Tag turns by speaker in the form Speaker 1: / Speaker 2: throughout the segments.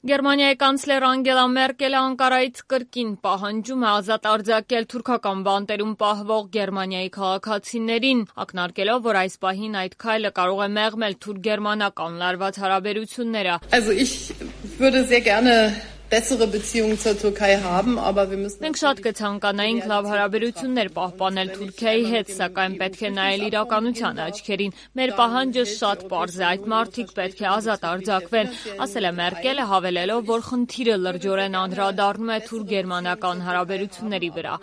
Speaker 1: Գերմանիայի կանցլեր Անգելա Մերկելը Անկարայից կրկին պահանջում է ազատ արձակել թուրքական բանտերում պահվող Գերմանիայի քաղաքացիներին, ակնարկելով, որ այս պահին այդ քայլը կարող է մեղմել թուրք-գերմանական լարված հարաբերությունները։ Մենք շատ կցանկանայինք լավ հարաբերություններ պահպանել Թուրքիայի հետ, սակայն պետք է նայել իրականության աչքերին։ Մեր պահանջը շատ պարզ է, այդ մարդիկ պետք է ազատ արձակվեն, ասել է Մերկելը, հավելելով, որ խնդիրը լրջորեն անդրադառնում է թուրք-գերմանական հարաբերությունների վրա։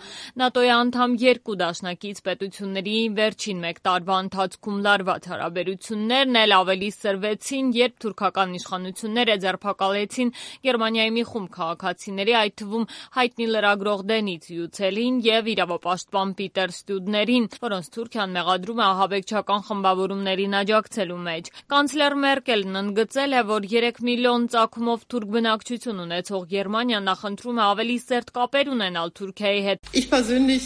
Speaker 1: ՆԱՏՕ-ի անդամ երկու դաշնակից պետությունների վերջին մեկ տարվա ընթացքում լարված հարաբերություններն էլ ավելի սրվեցին, երբ թուրքական իշխանությունները ձերբակալեցին Գերմանիայի մի խումբ քաղաքացիների, այդ թվում հայտնի լրագրող Դենից Յուցելին եւ իրավապաշտպան Պիտեր Ստյուդներին, որոնց Թուրքիան մեղադրում է ահաբեկչական խմբավորումներին աջակցելու մեջ։ Կանցլեր Մերկելն ընդգծել է, որ 3 միլիոն ծագումով թուրք բնակչություն ունեցող Գերմանիան նախընտրում է ավելի սերտ կապեր ունենալ Թուրքիայի հետ։
Speaker 2: Ich persönlich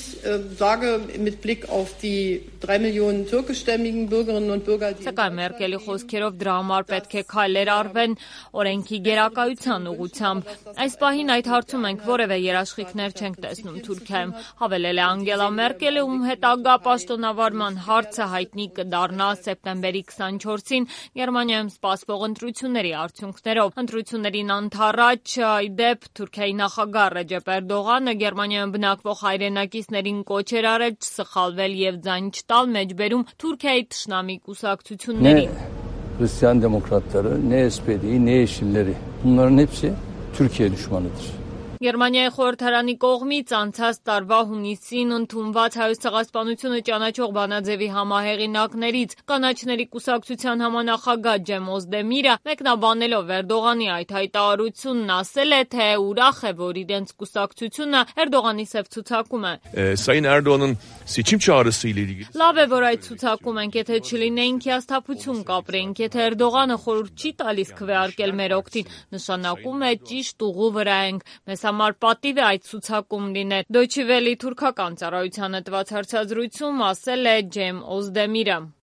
Speaker 2: sage mit Blick auf die 3 Millionen türkischstämmigen Bürgerinnen und Bürger,
Speaker 1: Սակայն Մերկելի խոսքերով դրա համար պետք է քայլեր արվեն օրենքի գերակայության ուղղությամբ։ Այս պահին այդ հարցում մենք որևէ երաշխիքներ չենք տեսնում Թուրքիայում, հավելել է Անգելա Մերկելը, ում հետագա պաշտոնավարման հարցը հայտնի կդառնա սեպտեմբերի 24-ին Գերմանիայում սպասվող ընտրությունների արդյունքներով։ Ընտրություններին անթառաջ ի դեպ Թուրքիայի նախագահ Ռեջեփ Էրդողանը Գերմանիայում բնակվող հայրենակիցներին կոչ էր արել չսխալվել եւ ձայն չտալ մեջբերում Թուրքիայի թշնամի կուսակցություններին։
Speaker 3: Hristiyan demokratları, ne SPD, ne Yeşilleri. Bunların hepsi Türkiye düşmanıdır.
Speaker 1: Գերմանիայի խորհրդարանի կողմից անցած տարվա հունիսին ընդունված Հայոց ցեղասպանությունը ճանաչող բանաձևի համահեղինակներից կանաչների կուսակցության համանախագահ Ջեմ Օզդեմիրը մեկնաբանելով Էրդողանի այդ հայտարարությունն ասել է, թե ուրախ է, որ իրենց կուսակցությունը Էրդողանի սև ցուցակում է։
Speaker 4: Sayın Erdoğan'ın seçim çağrısı ile ilgili.
Speaker 1: Լավ է, որ այդ ցուցակում ենք, եթե չլինեինք հիասթափություն կապրեինք, եթե Էրդողանը խորհուրդ չի տալիս քվեարկել մեր օգտին, նշանակում է ճիշտ ուղու վրա ենք։ Մեզ համար պատիվ է այդ ցուցակում լինել։ Դոյչե վելի թուրքական ծառայությանը տված հարցազրույցում ասել է Ջեմ Օզդեմիրը։